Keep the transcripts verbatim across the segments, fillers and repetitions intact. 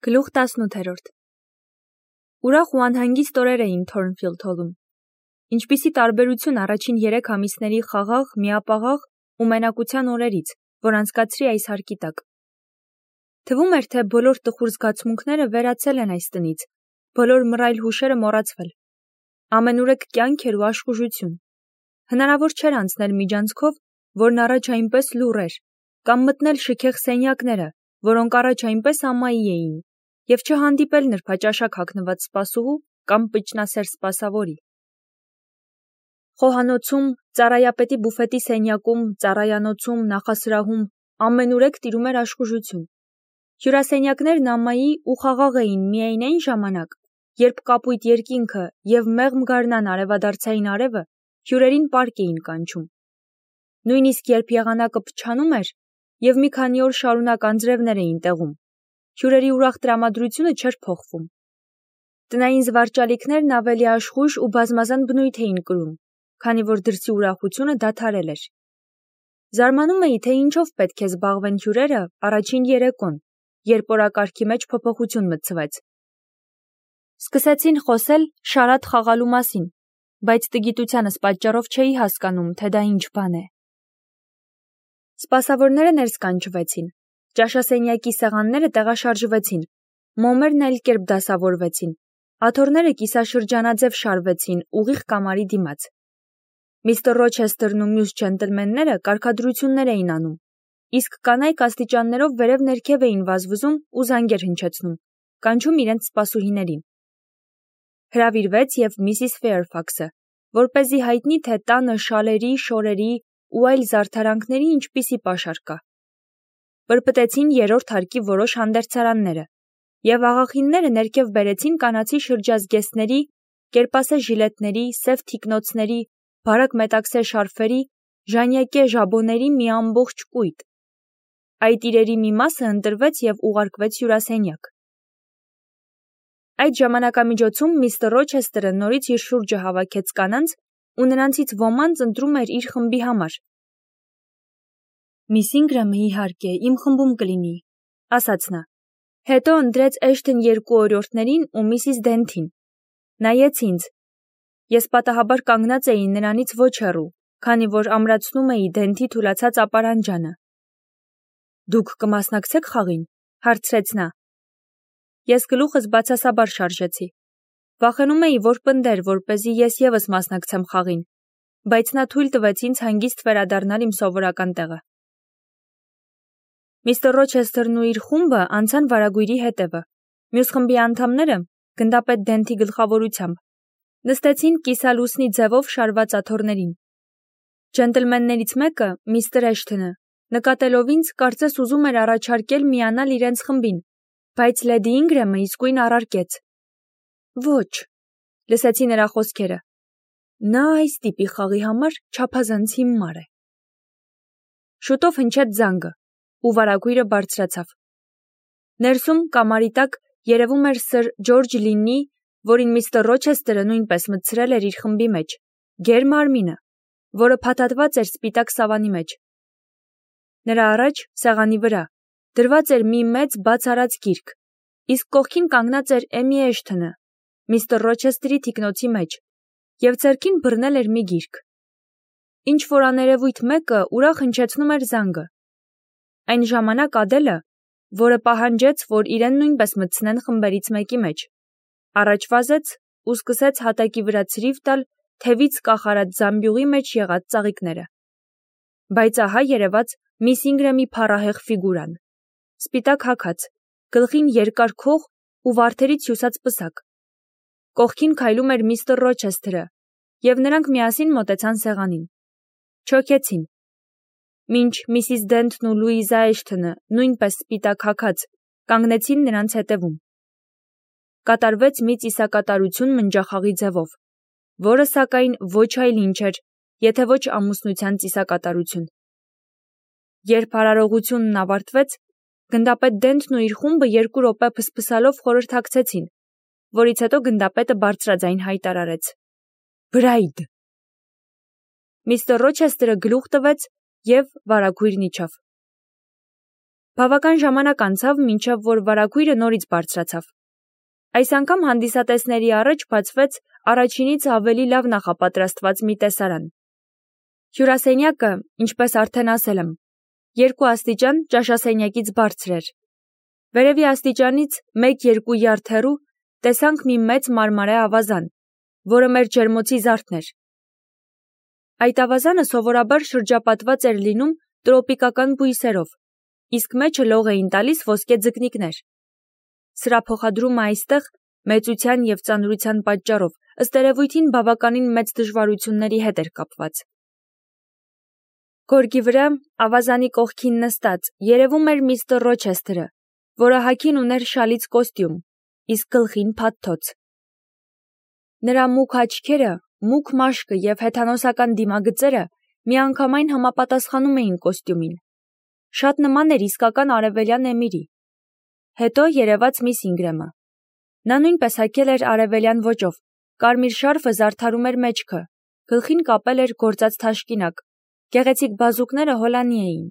Գլուխ տասնութերորդ Ուրախ ու անհանգիստ օրեր էին Թորնֆիլդ հոլում։ Ինչպիսի տարբերություն առաջին երեք ամիսների խաղաղ, միապաղաղ ու մենակության օրերից, որ անցկացրի այս հարկի տակ։ Թվում էր, թե բոլոր տխուր զգացմունքները վերացել են այս տնից, բոլոր մռայլ հուշերը մոռացվել։ Ամենուրեք կյանք էր ու աշխուժություն։ Հնարավոր չէր անցնել միջանցքով, որն առաջ այնպես լուռ էր, կամ մտնել շքեղ սենյակները, որոնք առաջ այնպես ամայի էին, և չհանդիպել նրբաճաշակ հագնված սպասուհու կամ պճնասեր սպասավորի։ Խոհանոցում, ծառայապետի բուֆետի սենյակում, ծառայանոցում, նախասրահում ամենուրեք տիրում էր աշխուժություն։ Հյուրասենյակներն ամայի ու խաղաղ էին միայն այն ժամանակ, երբ կապույտ երկինքը և մեղմ գարնան արևադարձային արևը հյուրերին պարկ էին կանչում։ Նույնիսկ երբ եղանակը փչանում էր և մի քանի օր շարունակ անձրևներ էին տեղում, հյուրերի ուրախ տրամադրությունը չէր փոխվում։ Տնային զվարճալիքներն ավելի աշխույժ ու բազմազան բնույթ էին կրում, քանի որ դրսի ուրախությունը դադարել էր։ Զարմանում էի, թե ինչով պետք է զբաղվեն հյուրերը առաջին երեկոն, երբ օրակարգի մեջ փոփոխություն մտցվեց։ Սկսեցին խոսել շարադ խաղալու մասին, բայց տգիտությանս պատճառով չէի հասկանում, թե դա ինչ բան է։ Սպասավորները ներս կանչվեցին, ճաշասենյակի սեղանները տեղաշարժվեցին, մոմերն այլ կերպ դասավորվեցին, աթոռները կիսաշրջանաձև շարվեցին ուղիղ կամարի դիմաց։ Միստր Ռոչեսթերն ու մյուս ջենտլմենները կարգադրություններ էին անում, իսկ կանայք աստիճաններով վերև-ներքև էին վազվզում ու զանգեր հնչեցնում, կանչում իրենց սպասուհիներին։ Հրավիրվեց և միսիս Ֆեյրֆաքսը, որպեսզի հայտնի, թե տանը շալերի, շորերի ու այլ զարդարանքների ինչպիսի պաշար կա։ Պրպտեցին երրորդ հարկի որոշ հանդերձարանները, և աղախինները ներքև բերեցին կանացի շրջազգեստների, կերպասե ժիլետների, սև թիկնոցների, բարակ մետաքսե շարֆերի, ժանյակե ժաբոների մի ամբողջ կույտ։ Այդ իրերի մի մասը ընտրվեց և ուղարկվեց հյուրասենյակ։ Այդ ժամանակամիջոցում միստր Ռոչեսթերը նորից իր շուրջը հավաքեց կանանց ու նրանցից ոմանց ընտրում էր իր խմբի համար։ Միս Ինգրեմը, իհարկե, իմ խմբում կլինի, ասաց նա։ Հետո ընտրեց Էշթն երկու օրիորդներին ու միսիս Դենթին։ Նայեց ինձ։ Ես պատահաբար կանգնած էի նրանից ոչ հեռու, քանի որ ամրացնում էի Դենթի թուլացած ապարանջանը։ Դուք կմասնակցեք խաղին, հարցրեց նա։ Ես գլուխս բացասաբար շարժեցի։ Վախենում էի, որ պնդեր, որպեսզի ես ևս մասնակցեմ խաղին, բայց նա թույլ տվեց ինձ հանգիստ վերադառնալ իմ սովորական տեղը։ Միստր Ռոչեսթերն ու իր խումբը անցան վարագույրի հետևը, մյուս խմբի անդամները, գնդապետ Դենթի գլխավորությամբ, նստեցին կիսալուսնի ձևով շարված աթոռներին։ Ջենտլմեններից մեկը, միստր Էշթոնը, նկատելով ինձ, կարծես ուզում էր առաջարկել միանալ իրենց խմբին, բայց լեդի Ինգրեմը իսկույն առարկեց։ Ոչ, լսեցի նրա խոսքերը։ Նա այս տիպի խաղի համար չափազանց հիմար է։ Շուտով հնչեց զանգը, ու վարագույրը բարձրացավ։ Ներսում կամարի տակ երևում էր սըր Ջորջ Լիննի, որին միստր Ռոչեսթերը նույնպես մտցրել էր իր խմբի մեջ, գեր մարմինը, որը փաթաթված էր սպիտակ սավանի մեջ։ Նրա առաջ, սեղանի վրա, դրված էր մի մեծ բաց արած գիրք, իսկ կողքին կանգնած էր Էմի Էշթոնը, միստր Ռոչեսթերի թիկնոցի մեջ, և ձեռքին բռնել էր մի գիրք։ Ինչ-որ աներևույթ մեկը ուրախ հնչեցնում էր զանգը։ Այն ժամանակ Ադելը, որը պահանջեց, որ իրեն նույնպես մտցնեն խմբերից մեկի մեջ, առաջ վազեց ու սկսեց հատակի վրա ցրիվ տալ թևից կախարած զամբյուղի մեջ եղած ծաղիկները։ Բայց ահա երևաց միս Ինգրեմի փառահեղ ֆիգուրան, սպիտակ հագած, գլխին երկար քող ու վարդերից հյուսած պսակ։ Կողքին քայլում էր միստր Ռոչեսթերը, և նրանք միասին մոտեցան սեղանին։ Չոքեցին։ Մինչ միսիս Դենթն ու Լուիզա Էշթոնը, նույնպես սպիտակ հագած, կանգնեցին նրանց հետևում։ Կատարվեց մի ծիսակատարություն մնջախաղի ձևով, որը, սակայն, ոչ այլ ինչ էր, եթե ոչ ամուսնության ծիսակատարություն։ Երբ արարողությունն ավարտվեց, գնդապետ Դենթն ու իր խումբը երկու րոպե փսփսալով խորհրդակցեցին, որից հետո գնդապետը բարձրաձայն հայտարարեց. Բրայդ։ Միստր Ռոչեսթերը գլուխ տվեց և վարագույրն իջավ։ Բավական ժամանակ անցավ, մինչև որ վարագույրը նորից բարձրացավ։ Այս անգամ հանդիսատեսների առաջ բացվեց առաջինից ավելի լավ նախապատրաստված մի տեսարան։ Հյուրասենյակը, ինչպես արդեն ասել եմ, երկու աստիճան ճաշասենյակից բարձր էր։ Վերևի աստիճանից մեկ-երկու յարդ հեռու տեսանք մի մեծ մարմարե ավազան, որը մեր ջերմոցի զարդն էր։ Այդ ավազանը սովորաբար շրջապատված էր լինում տրոպիկական բույսերով, իսկ մեջը լող էին տալիս ոսկե ձկնիկներ։ Սրա փոխադրումը այստեղ մեծության և ծանրության պատճառով ըստ երևույթին բավականին մեծ դժվարությունների հետ էր կապված։ Գորգի վրա, ավազանի կողքին նստած, երևում էր միստր Ռոչեսթերը, որը հագին ուներ շալից կոստյում, իսկ գլխին փաթթոց։ Նրա մուգ աչքերը, մուգ մաշկը և հեթանոսական դիմագծերը միանգամայն համապատասխանում էին կոստյումին։ Շատ նման էր իսկական արևելյան էմիրի։ Հետո երևաց միս Ինգրեմը։ Նա նույնպես հագել էր արևելյան ոճով, կարմիր շարֆը զարդարում էր մեջքը, գլխին կապել էր գործած թաշկինակ, գեղեցիկ բազուկները հոլանի էին։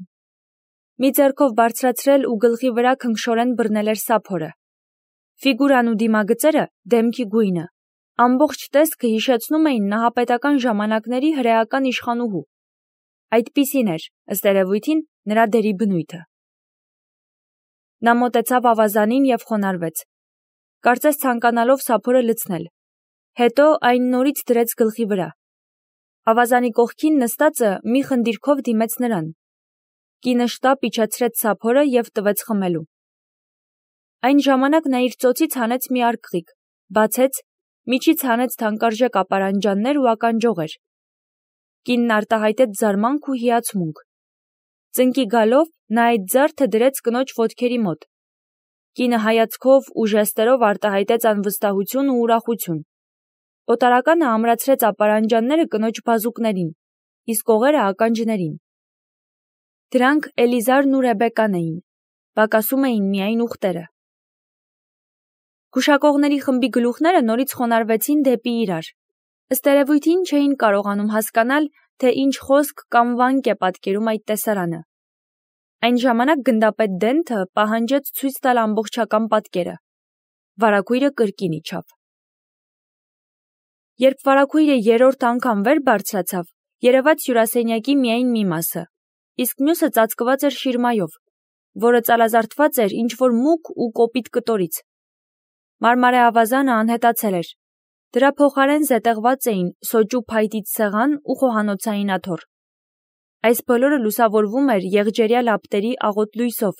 Մի ձեռքով բարձրացրել ու գլխի վրա քնքշորեն բռնել էր սափորը։ Ֆիգուրան ու դիմագծերը, դեմքի գույնը, ամբողջ տեսքը հիշեցնում էին նահապետական ժամանակների հրեական իշխանուհու։ Այդպիսին էր, ըստ երևույթին, նրա դերի բնույթը։ Նա մոտեցավ ավազանին և խոնարհվեց, կարծես ցանկանալով սափորը լցնել, հետո այն նորից դրեց գլխի վրա։ Ավազանի կողքին նստածը մի խնդիրքով դիմեց նրան։ Կինը շտապ իջեցրեց սափորը և տվեց խմելու։ Այն ժամանակ նա իր ծոցից հանեց մի արկղիկ, բացեց, միջից հանեց թանկարժեք ապարանջաններ ու ականջողեր։ Կինն արտահայտեց զարմանք ու հիացմունք։ Ծնկի գալով նա այդ զարդը դրեց կնոջ ոտքերի մոտ։ Կինը հայացքով ու ժեստերով արտահայտեց անվստահություն ու ուրախություն։ Օտարականը ամրացրեց ապարանջանները կնոջ բազուկներին, իսկ օղերը ականջներին։ Դրանք Էլիզարն ու Ռեբեկան էին, պակասում էին միայն ուղտերը։ Գուշակողների խմբի գլուխները նորից խոնարհվեցին դեպի իրար։ Ըստ երևույթին չէին կարողանում հասկանալ, թե ինչ խոսք կամ վանք է պատկերում այդ տեսարանը։ Այն ժամանակ գնդապետ Դենթը պահանջեց ցույց տալ ամբողջական պատկերը։ Վարագույրը կրկին իջավ։ Երբ վարագույրը երրորդ անգամ վեր բարձրացավ, երևաց հյուրասենյակի միայն մի մասը, իսկ մյուսը ծածկված էր շիրմայով, որը ծալազարդված էր ինչ-որ մուգ ու կոպիտ կտորից։ Մարմարե ավազանը անհետացել էր։ Դրա փոխարեն զետեղված էին սոճու փայտից սեղան ու խոհանոցային աթոռ։ Այս բոլորը լուսավորվում էր եղջերյա լապտերի աղոտ լույսով,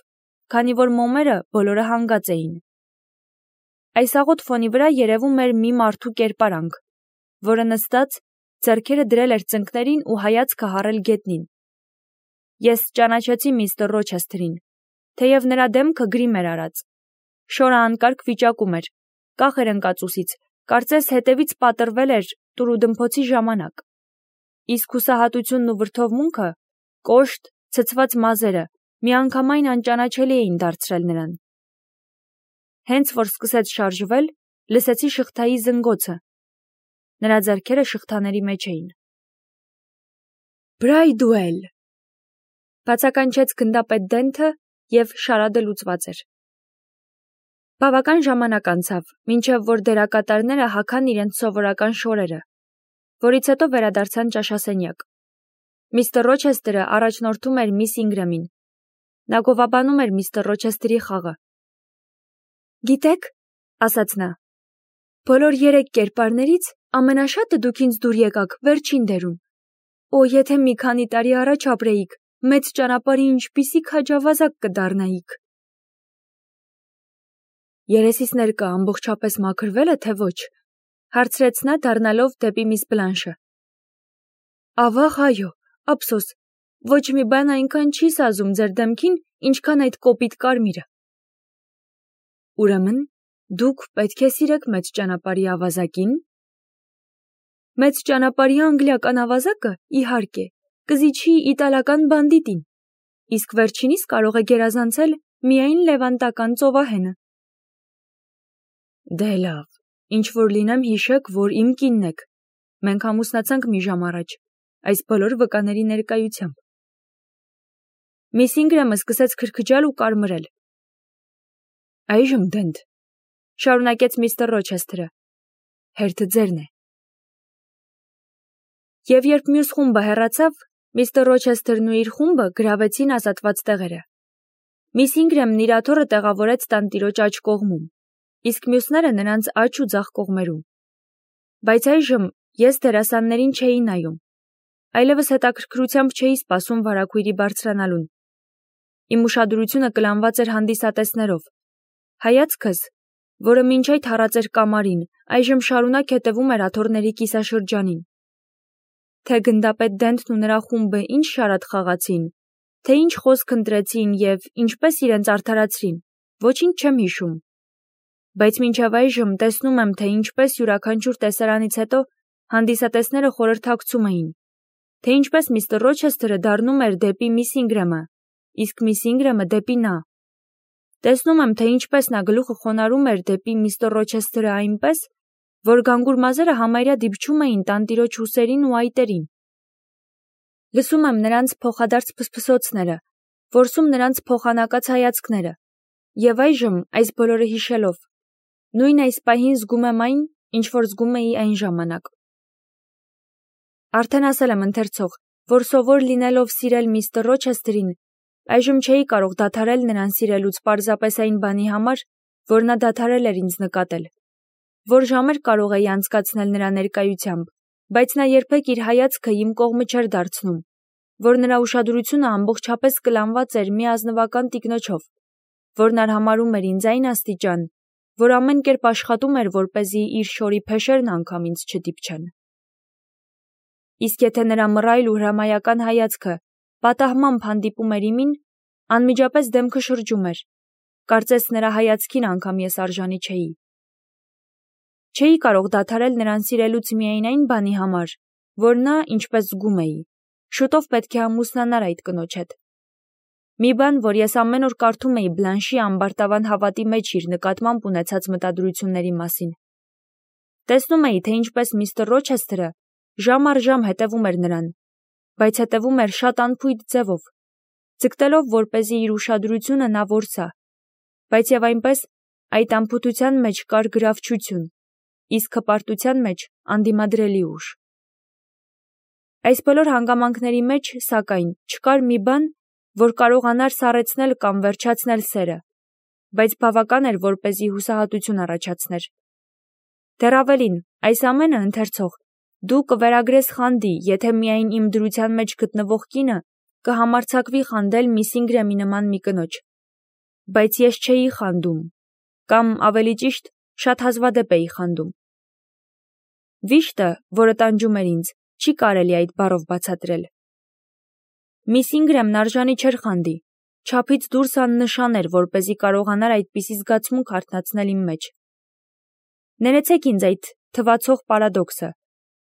քանի որ մոմերը բոլորը հանգած էին։ Այս աղոտ ֆոնի վրա երևում էր մի մարդու կերպարանք, որը նստած, ձեռքերը դրել էր ծնկներին ու հայացքը հառել գետնին։ Ես ճանաչեցի միստր Ռոչեսթերին, թեև նրա դեմքը գրիմ էր արած։ Շորը անկարգ վիճակում էր, կախ էր ընկած ուսից, կարծես հետևից պատռվել էր տուրուդմփոցի ժամանակ։ Իսկ հուսահատությունն ու վրդովմունքը, կոշտ, ցցված մազերը միանգամայն անճանաչելի էին դարձրել նրան։ Հենց որ սկսեց շարժվել, լսեցի շղթայի զնգոցը։ Նրա ձեռքերը շղթաների մեջ էին։ Բրայդուել, բացականչեց գնդապետ Դենթը և շարադը լուծված էր։ Բավական ժամանակ անցավ, մինչև որ դերակատարները հագան իրենց սովորական շորերը, որից հետո վերադարձան ճաշասենյակ։ Միստր Ռոչեսթերը առաջնորդում էր միս Ինգրեմին։ Նա գովաբանում էր միստր Ռոչեսթերի խաղը։ Գիտեք, ասաց նա, բոլոր երեք կերպարներից ամենաշատը դուք ինձ դուր եկաք վերջին դերում։ Օ, եթե մի քանի տարի առաջ ապրեիք, մեծ ճանապարհի ինչպիսի քաջավազակ կդառնայիք։ Երեսիս ներկա ամբողջապես մաքրվել է, թե ոչ, հարցրեց նա դառնալով դեպի միս Բլանշը։ Ավաղ, այո, ափսոս, ոչ մի բան այնքան չի սազում ձեր դեմքին, ինչքան այդ կոպիտ կարմիրը։ Ուրեմն, դուք պետք է սիրեք մեծ ճանապարհի ավազակին։ Մեծ ճանապարհի անգլիական ավազակը, իհարկե, կզիջի իտալական բանդիտին, իսկ վերջինիս կարող է գերազանցել միայն լևանտական ծովահենը։ Դե լավ, ինչ որ լինեմ հիշեք, որ իմ կինն եք։ Մենք ամուսնացանք մի ժամ առաջ, այս բոլոր վկաների ներկայությամբ։ Միս Ինգրամը սկսեց քրքջալ ու կարմրել։ Այժմ Դենթ, շարունակեց միստր Ռոչեսթերը, հերթը ձերն է։ Եվ երբ մյուս խումբը հեռացավ, միստր Ռոչեսթերն ու իր խումբը գրավեցին ազատված տեղերը։ Միս Ինգրամն իր աթոռը տեղավորեց տանտիրոջ աջ կողմում, իսկ մյուսները նրանց աջ ու ձախ կողմերում։ Բայց այժմ ես դերասաններին չէի նայում, այլևս հետաքրքրությամբ չէի սպասում վարագույրի բարձրանալուն։ Իմ ուշադրությունը կլանված էր հանդիսատեսներով։ Հայացքս, որը մինչ այդ հառած էր կամարին, այժմ շարունակ հետևում էր աթոռների կիսաշրջանին։ Թե գնդապետ Դենթն ու նրա խումբը ինչ շարատ խաղացին, թե ինչ խոսք ընտրեցին և ինչպես իրենց արդարացրին, ոչինչ չեմ հիշում։ Բայց մինչև այժմ տեսնում եմ, թե ինչպես յուրաքանչյուր տեսարանից հետո հանդիսատեսները խորհրդակցում էին, թե ինչպես միստր Ռոչեսթերը դառնում էր դեպի միս Ինգրամը, իսկ միս Ինգրամը դեպի նա։ Տեսնում եմ, թե ինչպես նա գլուխը խոնարհում էր դեպի միստր Ռոչեսթերը այնպես, որ գանգուր մազերը համարյա դիպչում էին տանտիրոջ ուսերին ու այտերին։ Լսում եմ նրանց փոխադարձ փսփսոցները, որսում նրանց փոխանակած հայացքները, և այժմ, այս բոլորը հիշելով, նույն այս պահին զգում եմ այն, ինչ որ զգում էի այն ժամանակ։ Արդեն ասել եմ ընթերցող, որ սովոր լինելով սիրել միստր Ռոչեսթերին, այժմ չէի կարող դադարել նրան սիրելուց պարզապես այն բանի համար, որ նա դադարել էր ինձ նկատել, որ ժամեր կարող էի անցկացնել նրա ներկայությամբ, բայց նա երբեք իր հայացքը իմ կողմը չէր դարձնում, որ նրա ուշադրությունը ամբողջապես կլանված էր մի ազնվական տիկնոջով, որն արհամարհում էր ինձ այն աստիճան, որ ամեն կերպ աշխատում էր, որպեսզի իր շորի փեշերն անգամ ինձ չդիպչեն։ Իսկ եթե նրա մռայլ ու հրամայական հայացքը պատահմամբ հանդիպում էր իմին, անմիջապես դեմքը շրջում էր, կարծես նրա հայացքին անգամ ես արժանի չէի։ Չէի կարող դադարել նրան սիրելուց միայն այն բանի համար, որ նա, ինչպես զգում էի, շուտով պետք է ամուսնանար այդ կնոջ հետ։ Մի բան, որ ես ամեն օր կարդում էի Բլանշի ամբարտավան հավատի մեջ իր նկատմամբ ունեցած մտադրությունների մասին։ Տեսնում էի, թե ինչպես միստր Ռոչեսթերը ժամ առ ժամ հետևում էր նրան, բայց հետևում էր շատ անփույթ ձևով, ձգտելով, որպեսզի իր ուշադրությունը նա որսա, բայց և այնպես այդ անփութության մեջ կար գրավչություն, իսկ հպարտության մեջ անդիմադրելի ուժ։ Այս բոլոր հանգամանքների մեջ, սակայն, չկար մի բան, որ կարողանար սառեցնել կամ վերջացնել սերը, բայց բավական էր, որպեսզի հուսահատություն առաջացներ։ Դեռ ավելին, այս ամենը ընթերցող, դու կվերագրես խանդի, եթե միայն իմ դրության մեջ գտնվող կինը կհամարձակվի խանդել միս Ինգրամի նման մի կնոջ։ Բայց ես չէի խանդում, կամ ավելի ճիշտ, շատ հազվադեպ էի խանդում։ Վիշտը, որը տանջում էր ինձ, չի կարելի այդ բառով բացատրել։ Միս Ինգրամն արժանի չէր խանդի, չափից դուրս աննշան էր, որպեսզի կարողանար այդպիսի զգացմունք արթնացնել իմ մեջ։ Ներեցեք ինձ այդ թվացող պարադոքսը,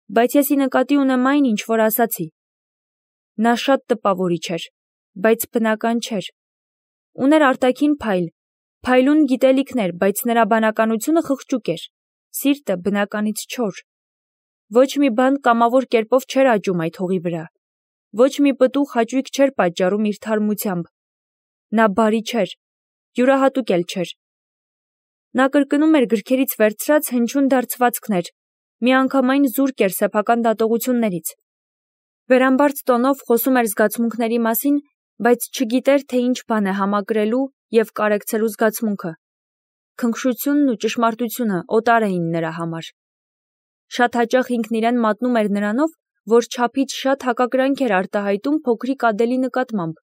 բայց ես ի նկատի ունեմ այն, ինչ որ ասացի։ Նա շատ տպավորիչ էր, բայց բնական չէր։ Ուներ արտաքին փայլ, փայլուն գիտելիքներ, բայց նրա բանականությունը խղճուկ էր, սիրտը բնականից չոր։ Ոչ մի բան կամավոր կերպով չէր աճում այդ հողի վրա, ոչ մի պտուղ հաճույք չէր պատճառում իր թարմությամբ։ Նա բարի չէր, յուրահատուկ էլ չէր։ Նա կրկնում էր գրքերից վերցրած հնչյուն դարձվածքներ, միանգամայն զուրկ էր սեփական դատողություններից։ Վերամբարձ տոնով խոսում էր զգացմունքների մասին, բայց չգիտեր, թե ինչ բան է համակրելու և կարեկցելու զգացմունքը։ Քնքշությունն ու ճշմարտությունը օտար էին նրա համար։ Շատ հաճախ ինքն իրեն մատնում էր նրանով, որ չափից շատ հակակրանք էր արտահայտում փոքրիկ Ադելի նկատմամբ։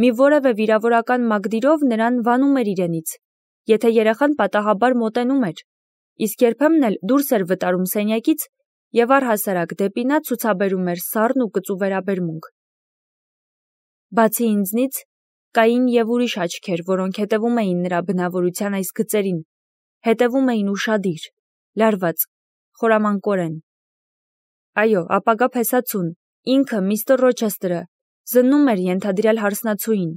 Մի որևէ վիրավորական մագդիրով նրան վանում էր իրենից, եթե երեխան պատահաբար մոտենում էր, իսկ երբեմն էլ դուրս էր վտարում սենյակից և առհասարակ դեպի նա ցուցաբերում էր սառն ու կծու վերաբերմունք։ Բացի ինձնից, կային և ուրիշ աչքեր, որոնք հետևում էին նրա բնավորության այս գծերին, հետևում էին ուշադիր, լարված, խորամանկորեն։ Այո, ապագա փեսացուն, ինքը միստր Ռոչեսթերը, զննում էր ենթադրյալ հարսնացուին,